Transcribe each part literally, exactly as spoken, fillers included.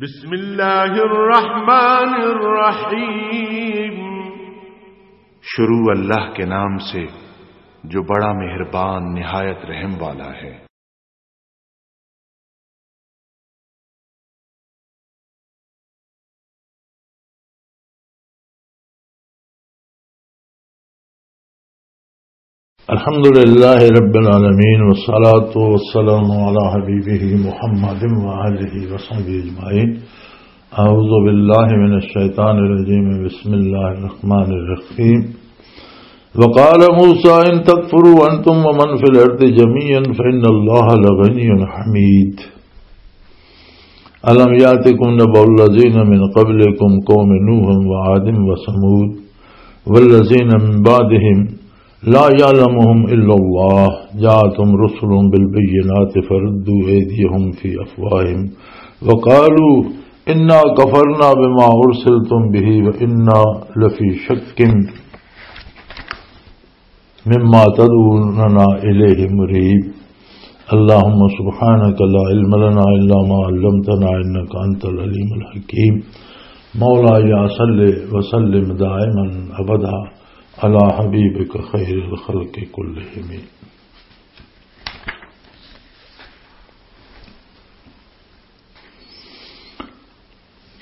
بسم اللہ الرحمن الرحیم۔ شروع اللہ کے نام سے، جو بڑا مہربان، نہایت رحم والا ہے۔ الحمد لله رب العالمين، والصلاة والسلام على حبيبه محمد وآله وصحبه أجمعين. أعوذ بالله من الشيطان الرجيم. بسم الله الرحمن الرحيم. وقال موسى إن تكفروا أنتم ومن في الأرض جميعا فإن الله لغني حميد. ألم يأتكم نبأ الذين من قبلكم قوم نوح وعاد وثمود والذين من بعدهم لا يعلمهم إلا الله جاءتهم رسلهم بالبينات فردوا أيديهم في أفواههم وقالوا إنا كفرنا بما أرسلتم به وإنا لفي شك مما تدعوننا إليه مريب. اللهم سبحانك لا علم لنا إلا ما علمتنا إنك أنت العليم الحكيم. مولاي صل وسلم دائما أبدا على حبيبك خير الخلق كلهم.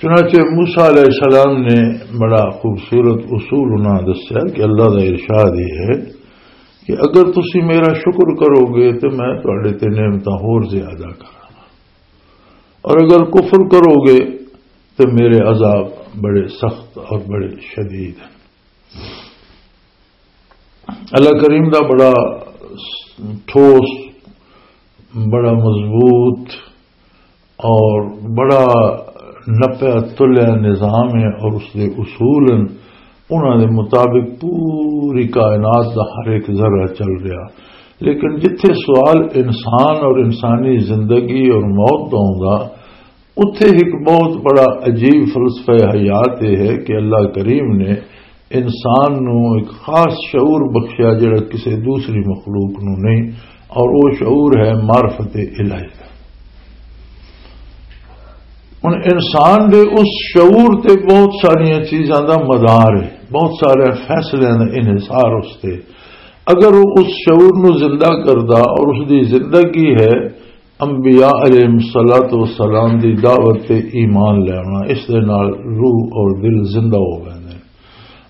چنانچہ موسیٰ علیہ السلام نے بڑا خوبصورت اصول انہاں دسیا کہ اللہ دا ارشاد یہ ہے کہ اگر تسی میرا شکر کرو گے تو میں تہاڈے تے نعمتاں ہور زیادہ کراں، اور اگر کفر کرو گے تو میرے عذاب بڑے سخت اور بڑے شدید ہیں۔ اللہ کریم دا بڑا ٹھوس، بڑا مضبوط اور بڑا نپیا تلیا نظام ہے، اور اس دے اصول ہیں، انہاں دے مطابق پوری کائنات دا ہر ایک ذرہ چل رہا۔ لیکن جتھے سوال انسان اور انسانی زندگی اور موت دا ہوندا، اتھے ایک بہت بڑا عجیب فلسفہ حیات یہ ہے کہ اللہ کریم نے انسان نو ایک خاص شعور بخشیا، جڑا کسی دوسری مخلوق نو نہیں، اور وہ شعور ہے معرفت الہی۔ ہن انسان دے اس شعور تے بہت ساریاں چیزاں دا مدار ہے، بہت سارے فیصلے دا انحصار اس تے۔ اگر وہ اس شعور نو زندہ کردا اور اس دی زندگی ہے انبیاء علیہ الصلوۃ والسلام دی دعوت تے ایمان لینا، اس دے نال روح اور دل زندہ ہو ویندے،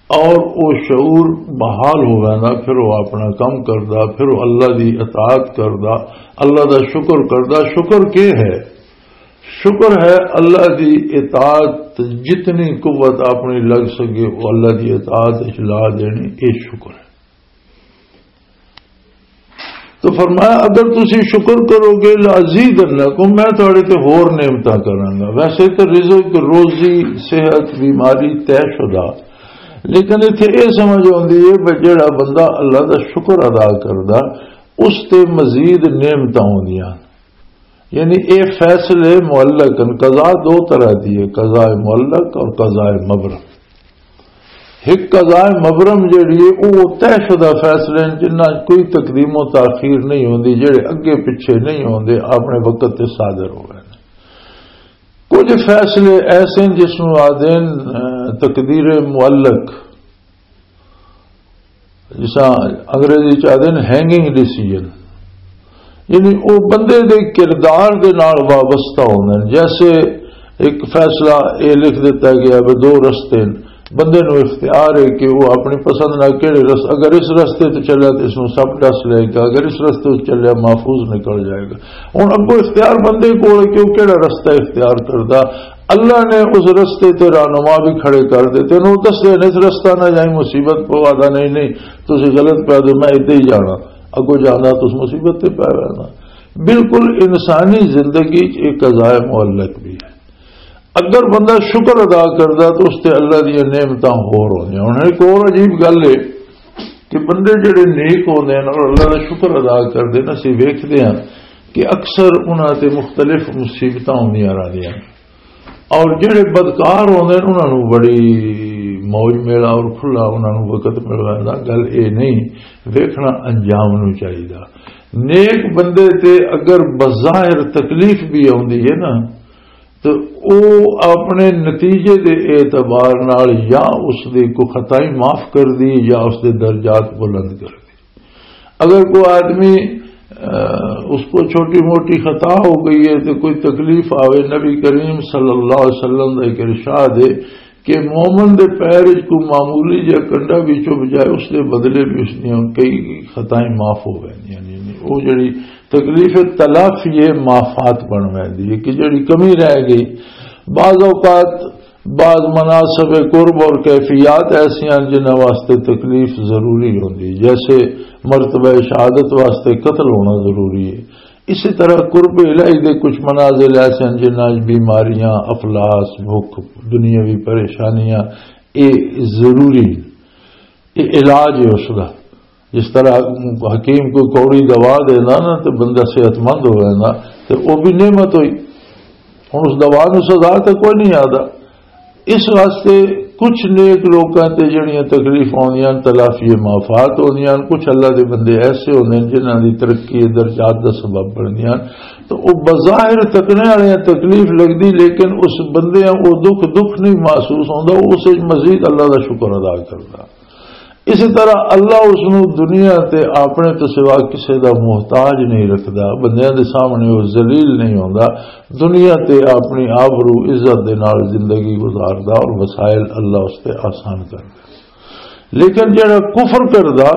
اور وہ شعور بحال ہو ویندا، پھر وہ اپنا کم کردا، پھر وہ اللہ دی اطاعت کردا، اللہ دا شکر کردا۔ شکر کی ہے؟ شکر ہے اللہ دی اطاعت، جتنی قوت اپنی لگ سکے وہ اللہ دی اطاعت وچ لا دینی، یہ شکر ہے۔ تو فرمایا، اگر تسی شکر کرو گے، لازیدنکم، میں تہاڈے تے ہور نعمتاں کراں گا۔ ویسے تے رزق، روزی، صحت، بیماری طے شدہ، لیکن اتھے یہ سمجھ آندی ہے کہ جڑا بندہ اللہ دا شکر ادا کردا، اس تے مزید نعمتاں ہوندیاں۔ یعنی اے فیصلے معلق ہیں۔ قضا دو طرح دی ہے، قضاء معلق اور قضاء مبرم۔ ایک قضاء مبرم جڑی ہے، وہ طے شدہ فیصلے ہیں، جنہاں کوئی تقدیم و تاخیر نہیں ہوندی، جڑے اگے پیچھے نہیں ہوندے، اپنے وقت تے صادر ہو گئے۔ کچھ فیصلے ایسے ہیں جس نوں آدھے ہیں، اہ، تقدیر معلق۔ جساں انگریزی چ آدھے نے ہینگنگ ڈیسیژن، یعنی وہ بندے دے کردار دے نال وابستہ ہوندے نے۔ جیسے ایک فیصلہ یہ لکھ دیتا گیا بھی دو رستے ہیں، بندے نو اختیار ہے کہ وہ اپنی پسند نال کہڑے رس-، اگر اس رستے تو چلیا تو اس نو سب ڈس لے گا، اگر اس رستے تو چلیا محفوظ نکل جائے گا۔ ہن اگوں اختیار بندے کول ہے کہ وہ کہڑا رستہ اختیار کردا۔ اللہ نے اس رستے تے رہنما بھی کھڑے کر دیتے نے، وہ دسدے نے، اس رستہ نہ جائیں، مصیبت پوا دا، نہیں، نہیں، تسی غلط پہ دے، میں ادھر ہی جانا، اگوں جانا تو اس مصیبت تے پی رہنا۔ بالکل انسانی زندگی چ ایک قضاء معلق بھی ہے۔ اگر بندہ شکر ادا کردا تو اس تے اللہ دی نعمتاں ہور ہوندیاں۔ ہن ایک اور عجیب گل ہے کہ بندے جڑے نیک ہوندے ہیں اور اللہ دا شکر ادا کردے نے، اسی ویکھدے ہیں کہ اکثر انہاں تے مختلف مصیبتاں ہوندیاں رہندیاں۔ اور جڑے بدکار ہوندے نے، انہاں نوں بڑی موج میلہ اور کھلا انہاں نوں وقت مل ویندا۔ گل اے نہیں، ویکھنا انجام نوں چاہیدا۔ نیک بندے تے اگر بظاہر تکلیف بھی آوندی ہے نا، تو او اپنے نتیجے دے اعتبار نال یا اس دی کوئی خطائیں معاف کر دی یا اس دے درجات بلند کر دی۔ اگر کوئی آدمی، آ، اس کو چھوٹی موٹی خطا ہو گئی ہے تو کوئی تکلیف آوے، نبی کریم صلی اللہ علیہ وسلم دا ایک ارشاد ہے کہ مومن دے پیر وچ کوئی معمولی جہا کنڈا بھی چپ جائے، اس دے بدلے بھی اس دیاں کئی خطائیں معاف ہو ویندیاں نے۔ یعنی وہ جڑی تکلیف تلافی ہے، معافات بن ویندی ہے کہ جڑی کمی رہ گئی۔ بعض اوقات بعض مناسب قرب اور کیفیات ایسی ہیں جنہاں واسطے تکلیف ضروری ہوندی، جیسے مرتبہ شہادت واسطے قتل ہونا ضروری ہے۔ اسی طرح قرب الہی دے کچھ منازل ایسے ہیں جنہاں وچ بیماریاں، افلاس، بھوک، دنیاوی پریشانیاں، اے ضروری، اے علاج ہے اس دا۔ جس طرح حکیم کوئی کوڑی دوا دینا نا تو بندہ صحت مند ہو جانا، تو وہ بھی نعمت ہوئی۔ ہن اس دوا نو سزا تے کوئی نہیں آدا۔ اس واسطے کچھ نیک لوکاں تے جڑیاں تکلیف آندیاں، تلافی معافات ہوندیاں، کچھ اللہ دے بندے ایسے ہوندے نے جنہاں دی ترقی درجات دا سبب بندیاں۔ تو وہ بظاہر تکنے والے تکلیف لگدی، لیکن اس بندے او دکھ دکھ نہیں محسوس ہوندا، وہ اس وچ مزید اللہ دا شکر ادا کردا۔ اسی طرح اللہ اس نو دنیا تے اپنے تو سوا کسے دا محتاج نہیں رکھدا، بندیاں دے سامنے وہ ذلیل نہیں ہوندا، دنیا تے اپنی آبرو عزت دے نال زندگی گزاردا اور وسائل اللہ اس تے آسان کردا۔ لیکن جڑا کفر کردا،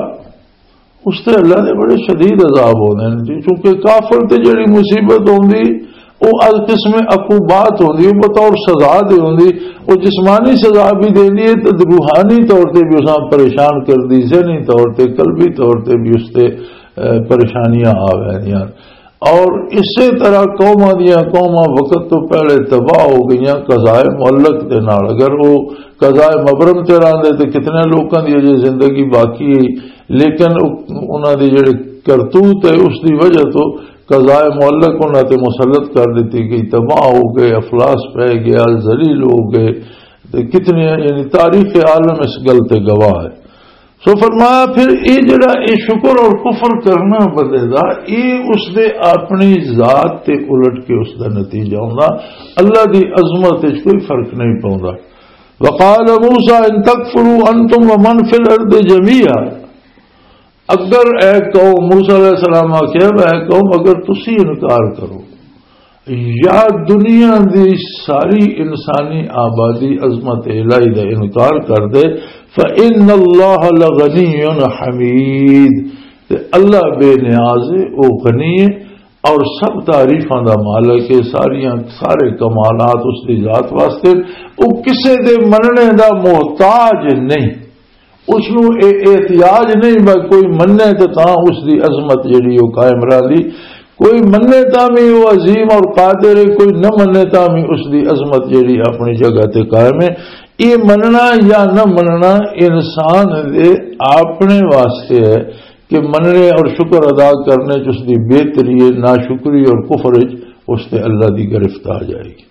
اس تے اللہ دے بڑے شدید عذاب ہوندے نے جی، کیونکہ کافر تے جڑی مصیبت ہوندی، او القسم عقوبات ہوندی، او بطور سزا دے ہوندی۔ او جسمانی سزا بھی دیندی ہے تے روحانی طور تے بھی اساں پریشان کردی، ذہنی طور تے، قلبی طور تے بھی اس تے، اے، پریشانیاں آ ویندیاں۔ اور اسی طرح قوماں دیاں قوماں وقت تو پہلے تباہ ہو گئیاں قضائے معلق دے نال۔ اگر وہ قضائے مبرم تے رہندے تے کتنے لوکاں دی اجے زندگی باقی ہے، لیکن او-، انہاں دے جڑے کرتوت ہے، اس دی وجہ تو قضائے معلق انہاں تے مسلط کر دتی گئی، تباہ ہو گئے، افلاس پہ گیا، ذلیل ہو گئے۔ تے کتنے، یعنی تاریخ عالم اس گل تے گواہ ہے۔ سو فرمایا، پھر اے جڑا اے شکر اور کفر کرنا بندے دا، اے اس دے اپنی ذات تے الٹ کے اس دا نتیجہ ہوندا، اللہ دی عظمت وچ کوئی فرق نہیں پوندا۔ وقال موسیٰ ان تکفروا انتم ومن فی الارض جمیعا۔ اگر اے قوم، موسیٰ علیہ السلام آکھیا، اے قوم، اگر تسی انکار کرو یا دنیا دی ساری انسانی آبادی عظمت الہی دا انکار کر دے، فَإِنَّ اللَّهَ لَغَنِيٌّ حَمِيدٌ، تے اللہ بے نیاز ہے، او غنی ہے اور سب تعریفاں دا مالک ہے، ساریاں، سارے کمالات اس دی ذات واسطے، او کسے دے مننے دا محتاج نہیں۔ اس نو اے احتیاج نہیں بھائی کوئی مننے تے تاں اس دی عظمت جڑی او قائم رہندی۔ کوئی مننے تاں بھی او عظیم اور قادر ہے، کوئی نہ مننے تاں بھی اس دی عظمت جڑی اپنی جگہ تے قائم ہے۔ یہ مننا یا نہ مننا انسان دے اپنے واسطے ہے کہ مننے اور شکر ادا کرنے چ اس دی بہتری ہے، ناشکری اور کفر چ اس تے اللہ دی گرفت آ جائے گی۔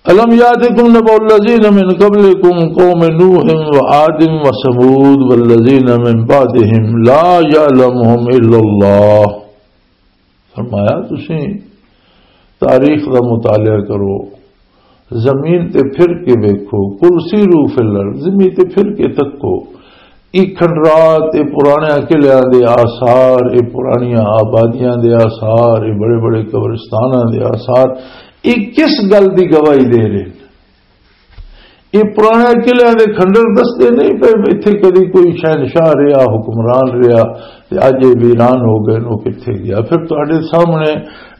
الم یاتکم نبأ الذین من قبلکم قوم نوح و عاد و ثمود والذین من بعدهم لا یعلمهم الا اللہ۔ فرمایا، تسیں تاریخ دا مطالعہ کرو، زمین تے پھر کے ویکھو، قل سیروا فی الارض، زمین تے پھر کے تکو، اے کھنڈرات، اے پرانے قلعیاں دے آثار، اے پرانیاں آبادیاں دے آثار، اے بڑے بڑے قبرستاناں دے آثار، اے کس گل دی گواہی دے رہے؟ اے پرانے قلعیاں دے کھنڈر دستے نہیں پے، اتھے کدی کوئی شہنشاہ رہیا، حکمران رہیا، تے اج اے ویران ہو گئے، او کتھے گیا؟ پھر تہاڈے سامنے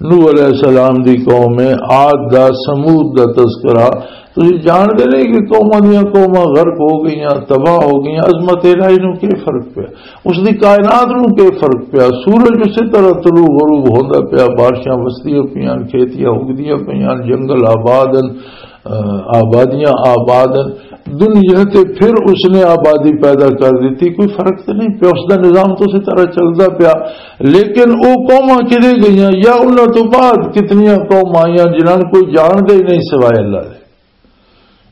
نوح علیہ السلام دی قوم ہے، عاد دا، ثمود دا تذکرہ۔ تسی جانتے نہیں کہ قوماں دیاں قوماں غرق ہو گئیاں، تباہ ہو گئیاں، عظمت الہی نو کی فرق پیا؟ اس دی کائنات نو کی فرق پیا؟ سورج اسی طرح طلوع غروب ہوندا پیا، بارشاں وسدیاں پیاں، کھیتیاں اگدیاں پیاں، جنگل آباد ہن، آبادیاں آباد ہن۔ دنیا تے پھر اس نے آبادی پیدا کر دیتی، کوئی فرق تے نہیں پیا، اس دا نظام تو اسی طرح چلدا پیا۔ لیکن او قوماں کدے گئیاں یا انہاں تو بعد کتنیاں قوماں آئیاں جنہاں نوں کوئی جاندا ہی نہیں سوائے اللہ دے،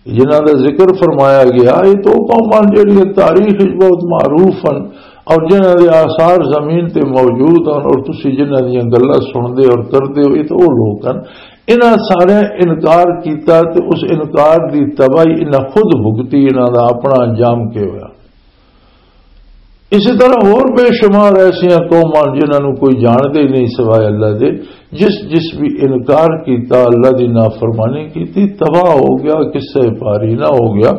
جنہاں دا ذکر فرمایا گیا؟ یہ تو قوماں جڑیاں تاریخ وچ بہت معروف ہن، اور جنہاں دے آثار زمین تے موجود ہن اور تسی جنہاں دیاں گلاں سنتے اور کرتے ہو، یہ تو وہ لوگ ہن۔ انہاں سارے انکار کیتا تے اس انکار دی تباہی انہاں خود بھگتی، انہاں دا اپنا انجام کے ہویا۔ اسی طرح ہور بے شمار ایسیاں قوماں جنہاں نوں کوئی جاندا ہی نہیں سوائے اللہ دے، جس جس بھی انکار کیتا، اللہ دی نافرمانی کیتی، تباہ ہو گیا، قصہ پاری نہ ہو گیا۔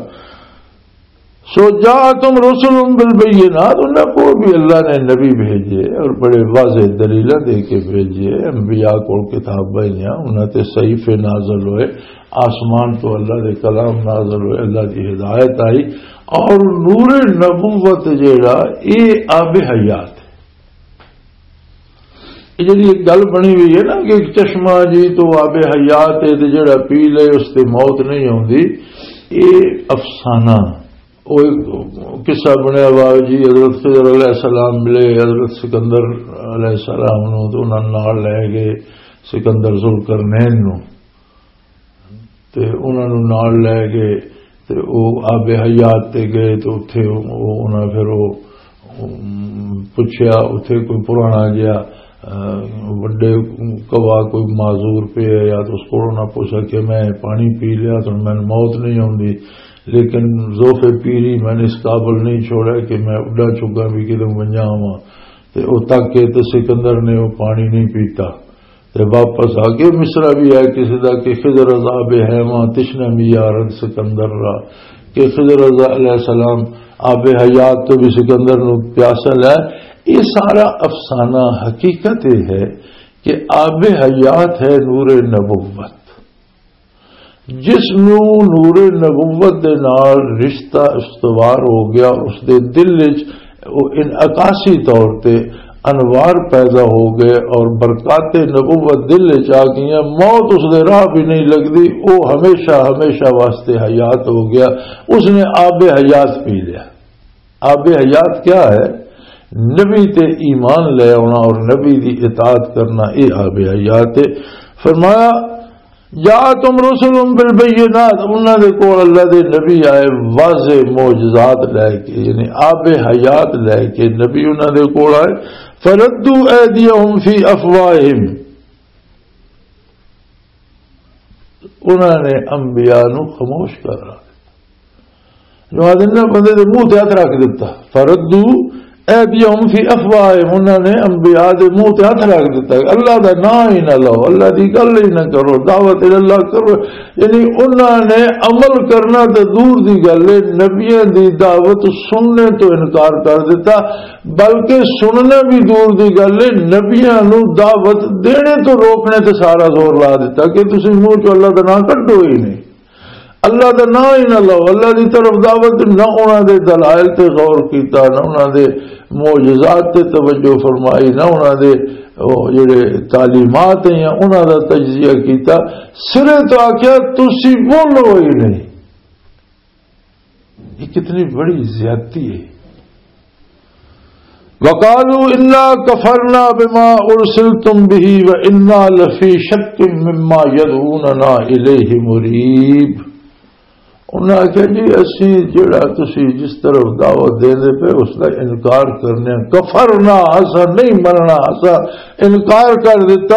سو جاءتہم رسلہم بالبینات، انہاں کو بھی اللہ نے نبی بھیجے اور بڑے واضح دلیلاں دے کے بھیجے، انبیاء کو کتاباں آئیاں، انہاں تے صحیفے نازل ہوئے، آسمان تو اللہ دے کلام نازل ہوئے، اللہ دی ہدایت آئی، اور نور نبوت جیڑا، اے آب حیات ہے۔ یہ جڑی ایک گل بنی ہوئی ہے نا کہ ایک چشمہ جی تو آب حیات ہے تے جڑا پی لے اس تے موت نہیں ہوندی، یہ افسانہ۔ وہ ایک قصہ بنیا ہوا جی، حضرت خضر علیہ السلام ملے حضرت سکندر علیہ السلام نو، تو انہاں نال لے گئے سکندر ذوالقرنین نو۔ تے انہاں نوں نال لے گئے تے او آب حیات تے گئے تے اتھے او، انہاں پھر او، ام، پچھیا اتھے کوئی پرانا جہا، آ، وڈے کوا کوئی معذور پہ ہے یا تو اس کو انہاں پوچھا کہ میں پانی پی لیا تو میں موت نہیں ہوندی، لیکن ذوف پیری میں نے اس قابل نہیں چھوڑا کہ میں اڈا چکا بھی کدھر ونجا ہواں۔ تے او تک کے تے سکندر نے او پانی نہیں پیتا۔ تے واپس آ کے مصرع بھی ہے کسی دا کہ خضر عذاب حیواں تشنہ میارد سکندر را، کہ خضر علیہ السلام آب حیات تو بھی سکندر نو پیاسا لے۔ یہ سارا افسانہ، حقیقت یہ ہے کہ آب حیات ہے نور نبوت۔ جس نو نور نبوت دے نال رشتہ استوار ہو گیا، اس دے دل وچ او انعکاسی طور تے انوار پیدا ہو گئے اور برکات نبوت دل وچ آ گئیاں۔ موت اس دے راہ بھی نہیں لگدی، او ہمیشہ، ہمیشہ واسطے حیات ہو گیا۔ اس نے آب حیات پی لیا۔ آب حیات کیا ہے؟ نبی تے ایمان لے آنا اور نبی دی اطاعت کرنا، یہ آب حیات ہے۔ فرمایا، جاءتہم رسلہم بالبینات، انہاں دے کول اللہ دے نبی آئے واضح معجزات لے کے، یعنی آب حیات لے کے نبی انہاں دے کول آئے۔ فردوا ایدیہم فی افواہہم، انہاں نے انبیاء نو خاموش کر رہا۔ جو آدھے نا بندے دے منہ تے ہاتھ رکھ دیتا، فردو ایدیہم فی افواہہم، انہاں نے انبیاء دے منہ تے ہاتھ رکھ دیتا، اللہ دا نام ہی نہ لو، اللہ دی گل ہی نہ کرو، دعوت اللہ کرو۔ یعنی انہاں نے عمل کرنا تے دور دی گل ہے، نبیاں دی دعوت سننے تو انکار کر دیتا، بلکہ سننا بھی دور دی گل ہے، نبیاں نو دعوت دینے تو روکنے تے سارا زور لا دیتا کہ تسی منہ چ اللہ دا نام کڈو ہی نہیں۔ اللہ دا نام ہی نہ لو، اللہ دی طرف دعوت، نہ انہاں دے دلائل تے غور کیتا، نہ انہاں دے معجزات تے توجہ فرمائی، نہ انہاں دے او جڑے تعلیمات ہیں انہاں دا تجزیہ کیتا۔ سرے تو آکھیا، تسی بولو ہی نہیں۔ یہ کتنی بڑی زیادتی ہے۔ وقالوا انا کفرنا بما ارسلتم به وانا لفی شک مما یدعوننا الیہ مریب۔ انہاں آکھیا، جی، اسی جڑا تسی جس طرف دعوت دیندے پے، اس دا انکار کرنے ہاں۔ کفرنا، اسا نہیں مننا، اسا انکار کر دیتا۔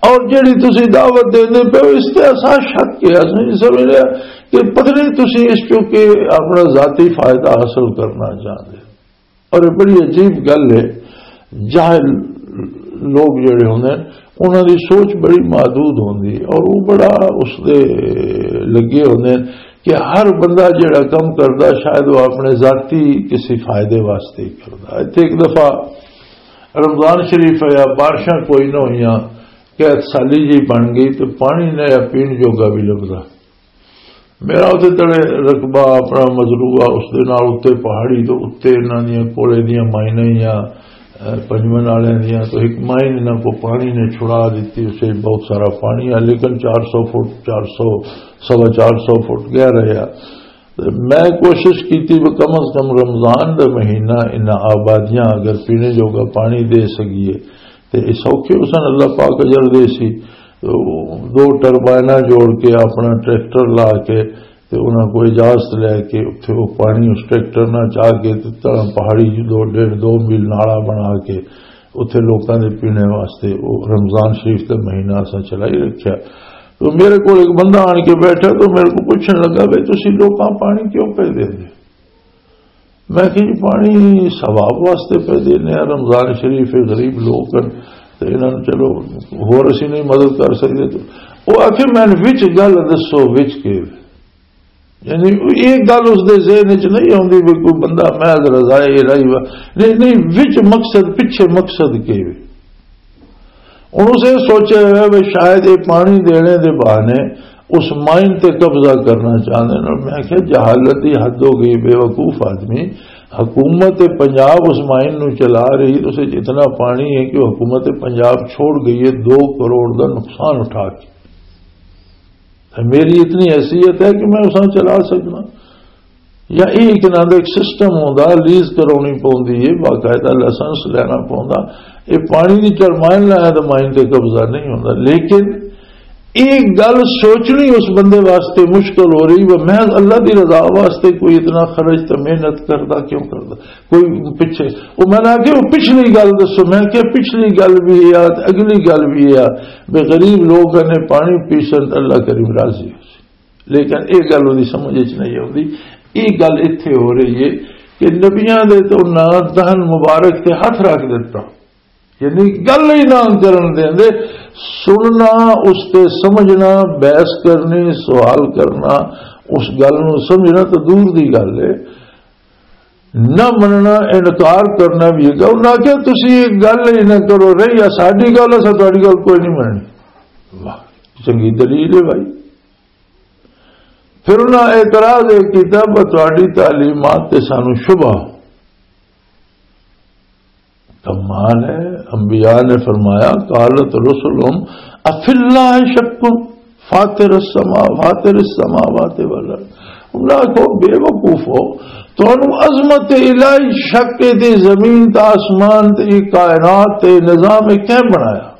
اور جڑی تسی دعوت دیندے پے، اس تے اسا شک ہے، اسا نہیں سمجھ رہا کہ پتہ نہیں تسی اس چوں کہ اپنا ذاتی فائدہ حاصل کرنا چاہندے۔ اور یہ بڑی عجیب گل ہے، جاہل لوگ جڑے ہوندے ہیں، انہاں دی سوچ بڑی محدود ہوندی ہے اور وہ بڑا اس دے لگے ہوندے ہیں کہ ہر بندہ جڑا کم کردا، شاید وہ اپنے ذاتی کسی فائدے واسطے ہی کردا۔ اتھے ایک دفعہ رمضان شریف آیا، بارشاں کوئی نہ ہوئیاں، قحط سالی جی بن گئی تو پانی نہ پین جوگا بھی لبدا۔ میرا اتنے تڑے رقبہ اپنا مزروع آ، اس دے نال اتنے پہاڑی تو اتنے انہاں دیاں کولے دیاں مائناں ہی آ، اے، پنجمن والے دیاں، تو ایک مائن انہاں کو پانی نے چھڑا دیتی، اسے بہت سارا پانی آ، لیکن چار سو فٹ، چار سو، سوا چار سو فٹ گہرا آ۔ تے میں کوشش کیتی بھی کم از کم رمضان دا مہینہ انہاں آبادیاں اگر پینے جوگا پانی دے سکیے، تے یہ سوکھے حسن اللہ پاک اجر دے سی۔ تو دو ٹربائناں جوڑ کے، اپنا ٹریکٹر لا کے، تے انہاں کو اجازت لے کے اتھے وہ پانی اس ٹریکٹر نال چا کے تے تاں پہاڑی دو، ڈیڑھ دو میل نالا بنا کے اتھے لوکاں دے پینے واسطے وہ رمضان شریف دا مہینہ اساں چلائی رکھیا۔ تو میرے کول ایک بندہ آن کے بیٹھا تو میرے کو پوچھن لگا، "بھئی، تسی لوکاں پانی کیوں پہ دیندے؟" میں کہ، "جی، پانی ثواب واسطے پہ دینے آ، رمضان شریف ہے، غریب لوگ ہن، تے انہاں نوں چلو ہور اسی نہیں مدد کر سکدے۔" تو وہ آکھے، "میں وچ گل دسو، وچ کے؟" یعنی، ایک گل اس دے ذہن وچ نہیں آوندی بھی کوئی بندہ محض رضائے الہی وا، نہیں، نہیں، وچ مقصد، پیچھے مقصد کے وے۔ ہن اسے سوچیا ہویا بھی شاید یہ پانی دینے دے بہانے اس مائن تے قبضہ کرنا چاہندے نے۔ میں کہیا، جہالت دی حد ہو گئی، بے وقوف آدمی۔ حکومت پنجاب اس مائن نو چلا رہی، اس وچ اتنا پانی ہے کہ وہ حکومت پنجاب چھوڑ گئی ہے دو کروڑ دا نقصان اٹھا کے۔ میری اتنی حیثیت ہے کہ میں اساں چلا سکنا؟ یا یہ ایک نہ ایک سسٹم ہوندا، لیز کرانی پوندی ہے، باقاعدہ لائسنس لینا پوندا۔ یہ پانی دی چرمائن لایا تو مائن تے قبضہ نہیں ہوندا۔ لیکن ایک گل سوچنی اس بندے واسطے مشکل ہو رہی، وہ محض اللہ دی رضا واسطے کوئی اتنا خرچ تے محنت کردا کیوں کردا؟ کوئی پچھے، وہ میں نے آخیا، "وہ پچھلی گل دسو۔" میں کہ پچھلی گل بھی یہ آ، اگلی گل بھی یہ آ، بے غریب لوگ نے پانی پیسن تے اللہ کریم راضی ہو سی۔ لیکن یہ گل وہی سمجھ وچ نہیں آتی۔ یہ گل اتھے ہو رہی ہے کہ نبیاں دے تو نہ دہن مبارک تے ہاتھ رکھ دیتا، یعنی گل ہی نہ کرن دیں دے۔ سننا، اس تے سمجھنا، بحث کرنی، سوال کرنا، اس گل نو سمجھنا تو دور دی گل ہے۔ نہ مننا، انکار کرنا بھی ہے۔ انہاں آکھیا، "تسی ایک گل ہی نہ کرو، رہی آ ساڈی گل، اساں تہاڈی گل کوئی نہیں مننی۔" واہ، چنگی دلیل ہے بھائی۔ پھر انہاں اعتراض یہ کیتا، "پر تہاڈی تعلیمات تے سانو شبہ۔" کمال ہے، انبیاء نے فرمایا، "قالت رسلهم افی اللہ شک فاطر السما، فاطر السماوات والارض۔" انہاں کو، "بے وقوف ہو، تانوں عظمت الہی شک ہے تے زمین تے آسمان تے کائنات تے نظام کیا بنایا؟"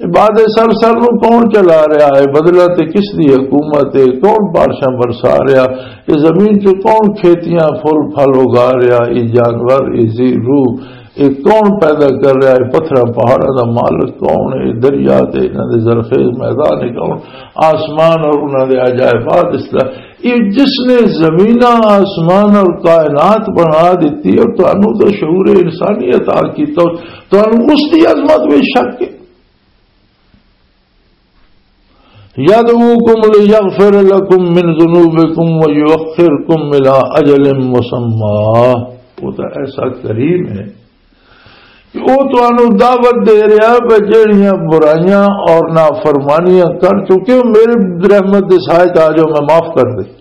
یہ بعد سر سر نو کون چلا رہا ہے؟ بدلہ تے کس دی حکومت ہے؟ کون بارشاں برسا رہا؟ یہ زمین چ کون کھیتیاں پھل پھل اگا رہا؟ یہ جانور، یہ زی روح، یہ کون پیدا کر رہا ہے؟ پتھراں پہاڑاں دا مالک کون ہے؟ دریا تے انہاں دے زرخیز میدان ہے کون؟ آسمان اور انہاں دے عجائبات، اس طرح یہ جس نے زمیناں، آسمان اور کائنات بنا دیتی اور تانوں تو شعور انسانی عطا کیتا، تانوں اس دی عظمت میں شک ہے؟ یدعوکم لیغفر لکم من ذنوبکم ویؤخرکم الی اجل مسمی۔ وہ تو ایسا کریم ہے کہ وہ تانوں دعوت دے رہا ہے، جہڑیاں برائیاں اور نافرمانیاں کر چکے ہو، میرے رحمت دے سائے تے آ جاؤ، میں معاف کر دے۔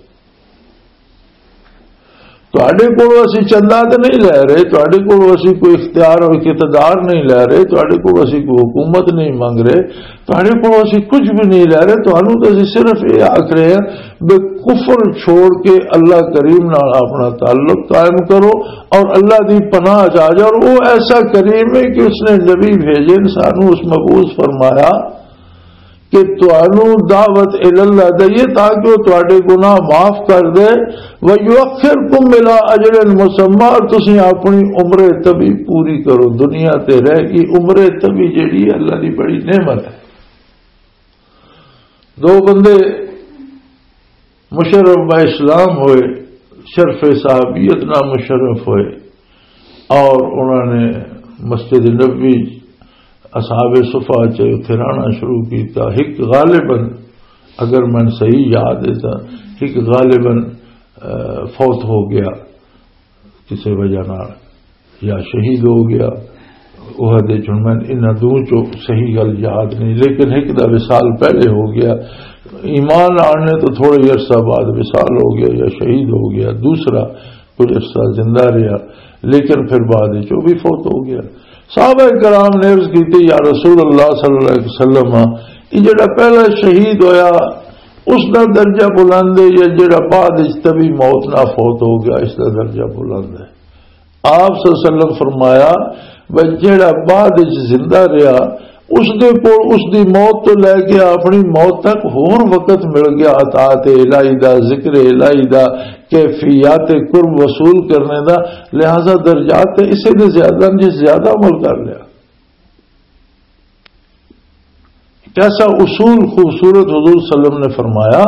تہاڈے کولوں اسی چندہ تے نہیں لے رہے، تہاڈے کولوں اسی کوئی اختیار اور اقتدار نہیں لے رہے، تہاڈے کولوں اسی کوئی حکومت نہیں منگ رہے، تہاڈے کولوں اسی کچھ بھی نہیں لے رہے۔ تہانوں تے اسی صرف یہ آکھ رہے ہیں بھی کفر چھوڑ کے اللہ کریم نال اپنا تعلق قائم کرو اور اللہ دی پناہ چ آ جاؤ۔ اور وہ ایسا کریم ہے کہ اس نے نبی بھیجے، سانوں اس مبعوث فرمایا کہ تانوں دعوت الاللہ دئیے تاکہ وہ تہاڈے گناہ معاف کر دے۔ وَيُؤَخِّرْكُمْ إِلَىٰ أَجَلٍ مُّسَمًّى، اور تسی اپنی عمر طبی پوری کرو۔ دنیا تے رہ گئی عمر طبی جیڑی ہے، اللہ دی بڑی نعمت ہے۔ دو بندے مشرف با اسلام ہوئے، شرف صحابیت نہ مشرف ہوئے، اور انہوں نے مسجد نبوی اصحاب صفا چ اتھے رہنا شروع کیتا۔ ایک غالباً، اگر میں صحیح یاد ہے تو ایک غالباً، آ، فوت ہو گیا کسی وجہ نال، یا شہید ہو گیا۔ عہد وچ ہن میں انہاں دو چوں صحیح گل یاد نہیں، لیکن ایک دا وصال پہلے ہو گیا۔ ایمان آنے تو تھوڑے عرصہ بعد وصال ہو گیا یا شہید ہو گیا۔ دوسرا کچھ عرصہ زندہ رہا، لیکن پھر بعد وچ وہ بھی فوت ہو گیا۔ صحابہ کرام نے عرض کی، "یا رسول اللہ صلی اللہ علیہ وسلم، یہ جڑا پہلا شہید ہویا، اس دا درجہ بلند ہے یا جڑا بعد وچ طبی موت نہ فوت ہو گیا، اس دا درجہ بلند ہے؟" آپ صلی اللہ علیہ وسلم فرمایا، "بھئی، جڑا بعد وچ زندہ رہیا، او اس دے کول اس دی موت تو لے کے اپنی موت تک ہور وقت مل گیا اطاعت الہی دا، ذکر الہی دا، کیفیات قرب وصول کرنے دا۔ لہذا درجات تے اسے دے زیادہ نے، جس زیادہ عمل کر لیا۔ کیسا اصول خوبصورت حضور صلی اللہ علیہ وسلم نے فرمایا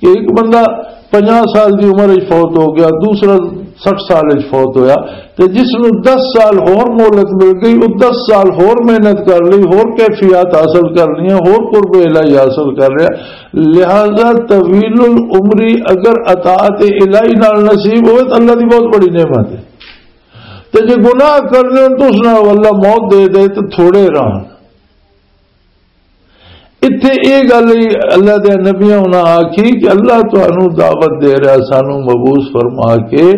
کہ ایک بندہ پنجاہ سال دی عمر وچ فوت ہو گیا، دوسرا سٹھ سال وچ فوت ہویا، تے جس نوں دس سال ہور مہلت مل گئی، وہ دس سال ہور محنت کر لئی، ہور کیفیات حاصل کر لیا، ہور قرب الہی حاصل کر لیا۔ لہذا طویل العمری اگر اطاعت الہی نال نصیب ہوئے تو اللہ دی بہت بڑی نعمت ہے۔ تے جے گناہ کرنے ہن تو اس نال اللہ موت دے دے تو تھوڑے رہن۔ اتھے اے گل ہی اللہ دے نبیاں انہاں آکھی کہ اللہ تانوں دعوت دے رہا، سانوں مبعوث فرما کے،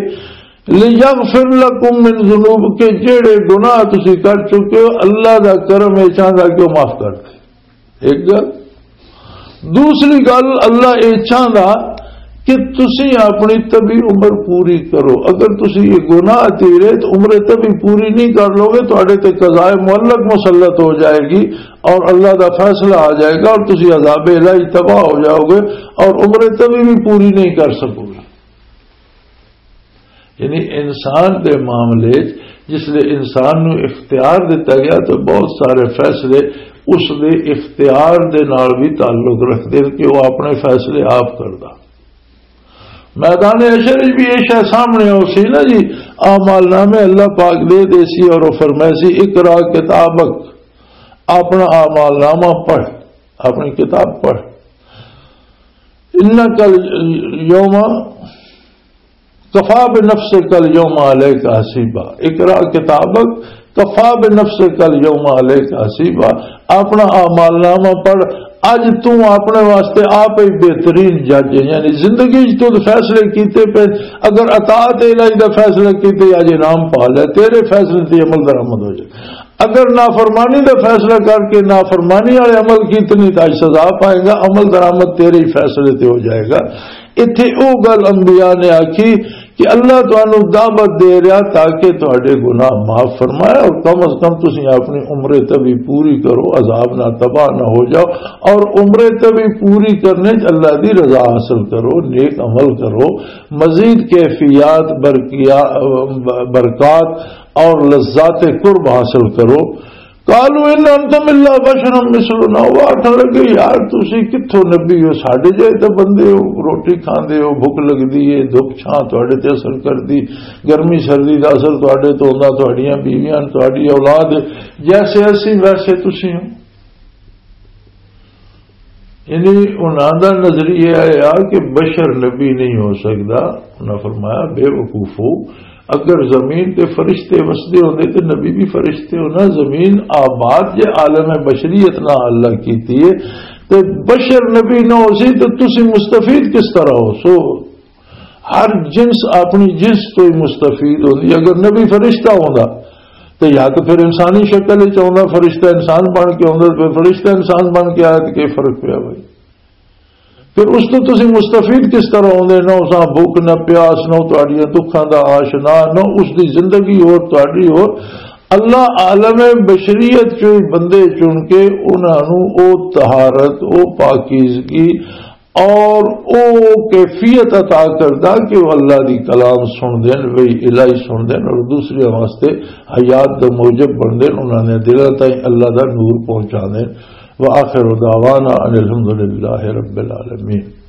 لِيَغْفِرَ لَكُم مِّن ذُنُوبِكُمْ، کہ جڑے گناہ تسی کر چکے ہو، اللہ دا کرم اے چاہندا کہ وہ معاف کر دے۔ ایک گل۔ دوسری گل، اللہ اے چاہندا کہ تسی اپنی طبی عمر پوری کرو۔ اگر تسی یہ گناہ تیرے تو عمر طبی پوری نہیں کر لو گے، تہاڈے تے قضاء معلق مسلط ہو جائے گی اور اللہ دا فیصلہ آ جائے گا اور تسی عذاب الہی تباہ ہو جاؤ گے اور عمر طبی بھی پوری نہیں کر سکو گے۔ یعنی انسان دے معاملے وچ جس لئے انسان نو اختیار دتا گیا تو بہت سارے فیصلے اس دے اختیار دے نال بھی تعلق رکھتے ہیں کہ وہ اپنے فیصلے آپ کردا۔ میدان حشر وچ بھی یہ شے سامنے ہو سی نا جی، اعمال نامے اللہ پاک دے دے سی اور وہ فرمائے سی، "اقرا کتابک"، اپنا اعمال نامہ پڑھ، اپنی کتاب پڑھ۔ "انک الیوم کفا بنفسک الیوم علیک حسیبا"، اقرا کتابک کفا بنفسک الیوم علیک حسیبا، اپنا اعمال نامہ پڑھ، اج تو اپنے واسطے آپ ہی بہترین جج ہے، یعنی زندگی وچ تو فیصلے کیتے پے، اگر اطاعت الہی دا فیصلہ کیتے اج انعام پا لے، تیرے فیصلے تے عمل درآمد ہو جائے۔ اگر نافرمانی دا فیصلہ کر کے نافرمانی والے عمل کیتے نہیں تو اج سزا پائے گا، عمل درآمد تیرے ہی فیصلے تے ہو جائے گا۔ اتھے او گل انبیاء نے آکھی کہ اللہ تانوں دعوت دے رہا تاکہ تہاڈے گناہ معاف فرمائے اور کم از کم تسی اپنی عمر طبی پوری کرو، عذاب نہ تباہ نہ ہو جاؤ اور عمر طبی پوری کرنے چ اللہ دی رضا حاصل کرو، نیک عمل کرو، مزید کیفیات برقیا-، برکات اور لذات قرب حاصل کرو۔ قالوا ان انتم الا بشر مثلنا، وہ آکھن لگے، "یار تسی کتھوں نبی ہو، ساڈے جہے تے بندے ہو، روٹی کھاندے ہو، بھوک لگدی ہے، دھوپ چھاں تہاڈے تے اثر کردی، گرمی سردی دا اثر تہاڈے تے ہوندا، تہاڈیاں بیویاں، تہاڈی اولاد، جیسے اسی ویسے تسی ہو۔" یعنی انہاں دا نظریہ ہے یار کہ بشر نبی نہیں ہو سکدا۔ انہاں فرمایا، بے وقوفو، اگر زمین تے فرشتے وسدے ہوندے تے نبی بھی فرشتے ہونا، زمین آباد جے عالم بشریت نہ اللہ کیتی ہے تے بشر نبی نہ ہو سی تے تسی مستفید کس طرح ہو سو؟ ہر جنس اپنی جنس تو ہی مستفید ہوندی۔ اگر نبی فرشتہ ہوندا تے یا تو پھر انسانی شکل وچ آوندا، فرشتہ انسان بن کے آوندا، پھر فرشتہ انسان بن کے آیا تے کی فرق پیا بھائی؟ پھر اس تو تسی مستفید کس طرح ہوندے؟ نہ اساں بھوک، نہ پیاس، نہ تہاڈیاں دکھاں دا آشنا، نہ اس دی زندگی ہور تہاڈی ہور۔ اللہ عالم بشریت چوں ہی بندے چن کے انہاں نوں او طہارت، او پاکیزگی اور او کیفیت عطا کردا کہ وہ اللہ دی کلام سن دین، وہی الہی سن دین اور دوسرے واسطے حیات دا موجب بن دین، انہاں نے دلاں تائیں اللہ دا نور پہنچا دین۔ وآخر دعوانا ان الحمد للہ رب العالمین۔